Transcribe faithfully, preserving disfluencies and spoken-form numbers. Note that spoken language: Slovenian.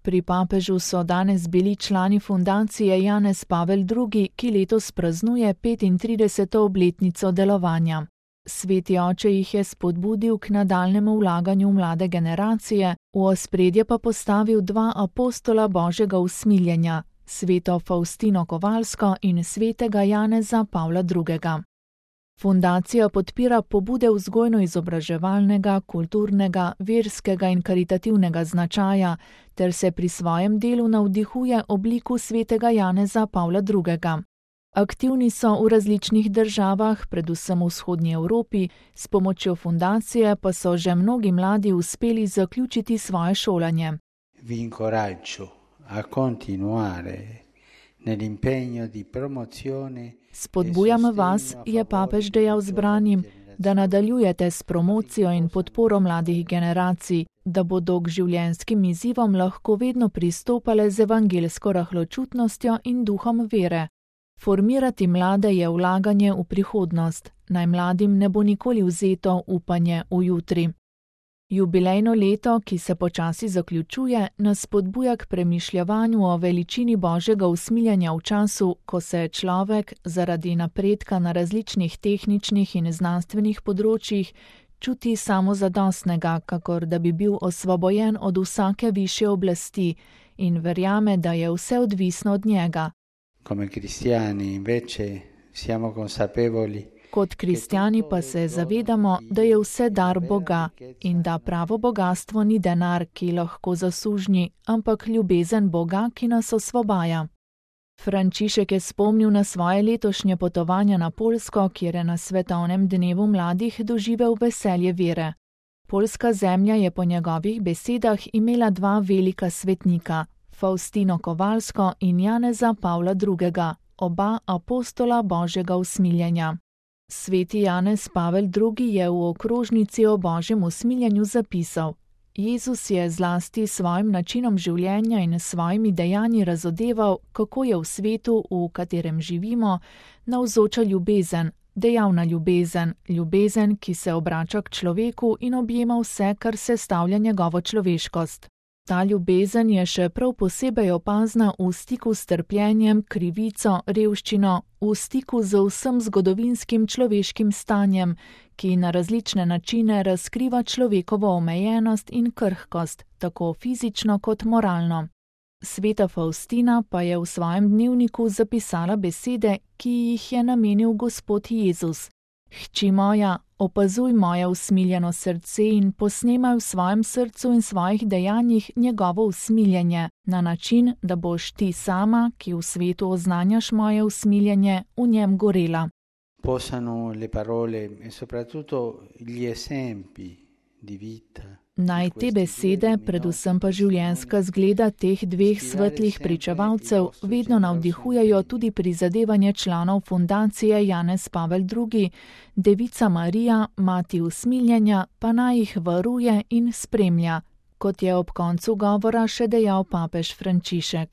Pri papežu so danes bili člani fundacije Janez Pavel drugi, ki letos praznuje petintrideseto obletnico delovanja. Sveti oče jih je spodbudil k nadaljnjemu vlaganju v mlade generacije, v ospredje pa postavil dva apostola Božjega usmiljenja, sveto Faustino Kovalsko in svetega Janeza Pavla drugega. Fundacija podpira pobude vzgojno-izobraževalnega, kulturnega, verskega in karitativnega značaja ter se pri svojem delu navdihuje obliku svetega Janeza Pavla drugega. Aktivni so v različnih državah, predvsem v vzhodnji Evropi, s pomočjo fundacije pa so že mnogi mladi uspeli zaključiti svoje šolanje. Vi incoraggio a continuare nell'impegno di promozione. Spodbujam vas, je papež dejal zbranim, da nadaljujete s promocijo in podporo mladih generacij, da bodo k življenjskim izzivom lahko vedno pristopale z evangeljsko rahločutnostjo in duhom vere. Formirati mlade je vlaganje v prihodnost, naj mladim ne bo nikoli vzeto upanje v jutri. Jubilejno leto, ki se počasi zaključuje, nas spodbuja k premišljavanju o veličini Božjega usmiljanja v času, ko se človek zaradi napredka na različnih tehničnih in znanstvenih področjih čuti samozadostnega, kakor da bi bil osvobojen od vsake višje oblasti in verjame, da je vse odvisno od njega. Come cristiani invece siamo consapevoli. Kot kristjani pa se zavedamo, da je vse dar Boga in da pravo bogastvo ni denar, ki lahko zasužnji, ampak ljubezen Boga, ki nas osvobaja. Frančišek je spomnil na svoje letošnje potovanje na Poljsko, kjer je na svetovnem dnevu mladih doživel veselje vere. Poljska zemlja je po njegovih besedah imela dva velika svetnika, Faustino Kovalsko in Janeza Pavla drugega, oba apostola Božjega usmiljenja. Sveti Janez Pavel drugi je v okrožnici o Božjem usmiljenju zapisal: Jezus je zlasti svojim načinom življenja in svojimi dejanji razodeval, kako je v svetu, v katerem živimo, navzoča ljubezen, dejavna ljubezen, ljubezen, ki se obrača k človeku in objema vse, kar sestavlja njegovo človeškost. Ta ljubezen je še prav posebej opazna v stiku s trpljenjem, krivico, revščino, v stiku z vsem zgodovinskim človeškim stanjem, ki na različne načine razkriva človekovo omejenost in krhkost, tako fizično kot moralno. Sveta Faustina pa je v svojem dnevniku zapisala besede, ki jih je namenil Gospod Jezus. Hči moja, opazuj moje usmiljeno srce in posnemaj v svojem srcu in svojih dejanjih njegovo usmiljenje, na način, da boš ti sama, ki v svetu oznanjaš moje usmiljenje, v njem gorela. Possano le parole e soprattutto gli esempi di vita. Naj te besede, predvsem pa življenjska zgleda teh dveh svetlih pričevalcev, vedno navdihujejo tudi prizadevanje članov fundacije Janez Pavel drugi, Devica Marija, mati usmiljenja, pa naj jih varuje in spremlja, kot je ob koncu govora še dejal papež Frančišek.